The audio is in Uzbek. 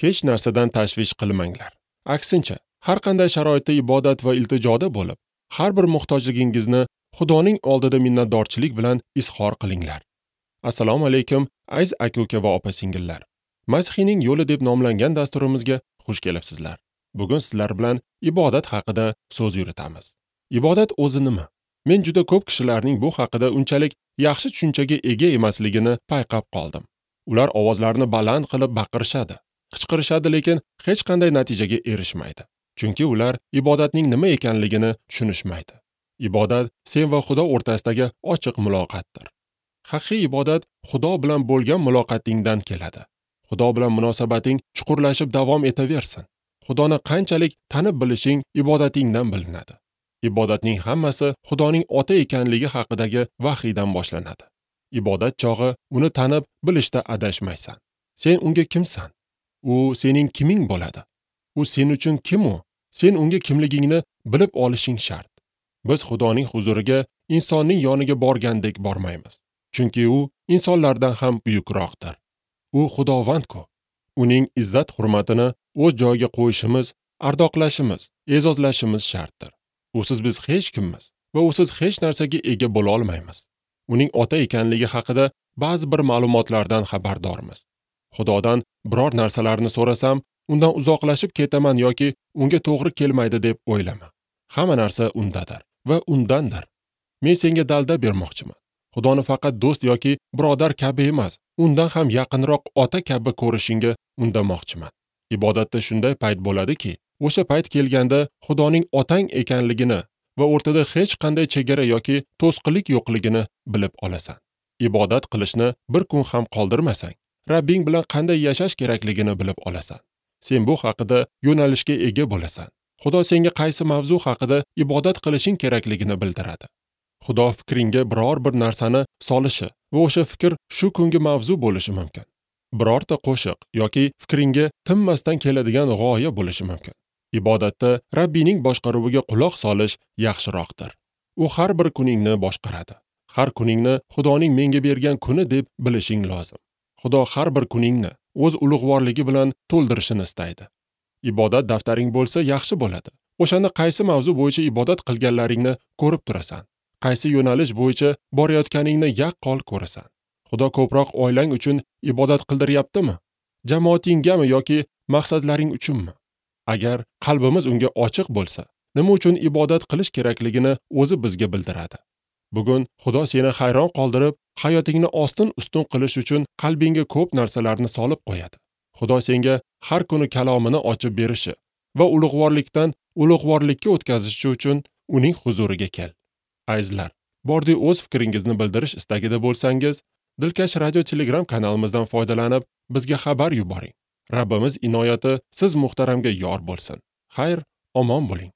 Hech narsadan tashvish qilmanglar. Aksincha, har qanday sharoitda ibodat va iltijoda bo'lib, har bir muhtojligingizni Xudoning oldida minnatdorchilik bilan izhor qilinglar. Assalomu alaykum, aziz aka-uka va opa-singillar. Masihiyning yo'li deb nomlangan dasturimizga xush kelibsizlar. Bugun sizlar bilan ibodat haqida so'z yuritamiz. Ibodat o'zi nima? Men juda ko'p kishilarning bu haqida unchalik yaxshi tushunchaga ega emasligini payqab qoldim. Ular ovozlarini baland qilib baqirishadi, qichqirishadi, lekin hech qanday natijaga erishmaydi. Chunki ular ibodatning nima ekanligini tushunishmaydi. Ibodat sen va Xudo o'rtasidagi ochiq muloqotdir. Haqiqiy ibodat Xudo bilan bo'lgan muloqotingdan keladi. Xudo bilan munosabating chuqurlashib davom etaversin. Xudoni qanchalik tanib bilishing ibodatingdan bilinadi. Ibodatning hammasi Xudoning ota ekanligi haqidagi vahiydan boshlanadi. Ibodat chog'i uni tanib bilishda adashmaysan. Sen unga kimsan? U sening kiming bo'ladi? U sen uchun kim u? Sen unga kimligingni bilib olishing shart. Biz Xudoning huzuriga insonning yoniga borgandek bormaymiz. Chunki u insonlardan ham buyukroqdir. U Xudovand-ku. Uning izzat hurmatini o'z joyiga qo'yishimiz, ardoqlashimiz, e'zozlashimiz shartdir. Usiz biz hech kimmiz va usiz hech narsaga ega bo'la olmaymiz. Uning ota ekanligi haqida ba'zi bir ma'lumotlardan xabardormiz. Xudodan biror narsalarni so'rasam, undan uzoqlashib ketaman yoki unga to'g'ri kelmaydi deb o'ylama. Hamma narsa undadir va undandir. Men senga dalda bermoqchiman. Xudoni faqat do'st yoki birodar kabi emas, undan ham yaqinroq ota kabi ko'rishingga undamoqchiman. Ibodatda shunday payt bo'ladiki, o'sha payt kelganda Xudoning otang ekanligini va o'rtada hech qanday chegara yoki to'sqinlik yo'qligini bilib olasan. Ibodat qilishni bir kun ham qoldirmasang, Rabbing bilan qanday yashash kerakligini bilib olasan. Sen bu haqida yo'nalishga ega bo'lasan. Xudo senga qaysi mavzu haqida ibodat qilishing kerakligini bildiradi. Xudo fikringga biror bir narsani solishi va o'sha fikr shu kungi mavzu bo'lishi mumkin. Birorta qo'shiq yoki fikringga tinmasdan keladigan g'oya bo'lishi mumkin. Ibodatda Rabbingning boshqaruviga quloq solish yaxshiroqdir. U har bir kuningni boshqaradi. Har kuningni Xudoning menga bergan kuni deb bilishing lozim. Xudo har bir kuningni o'z ulug'vorligi bilan to'ldirishini istaydi. Ibodat daftaring bo'lsa yaxshi bo'ladi. O'shanda qaysi mavzu bo'yicha ibodat qilganlaringni ko'rib turasan. Qaysi yo'nalish bo'yicha borayotganingni yaqqol ko'rasan. Xudo ko'proq oilang uchun ibodat qildiryaptimi? Jamoatingami yoki maqsadlaring uchunmi? Agar qalbimiz unga ochiq bo'lsa, nima uchun ibodat qilish kerakligini o'zi bizga bildiradi. Bugun Xudo seni hayron qoldirib, hayotingni ostin-ustun qilish uchun qalbingga ko'p narsalarni solib qo'yadi. Xudo senga har kuni kalomini ochib berishi va ulug'vorlikdan ulug'vorlikka o'tkazishi uchun uning huzuriga kel. Azizlar, bordi o'z fikringizni bildirish istagida bo'lsangiz, Dilkash radio Telegram kanalimizdan foydalanib, bizga xabar yuboring. Rabbimiz inoyati siz muhtaramga yor bo'lsin. Xayr, omon bo'ling.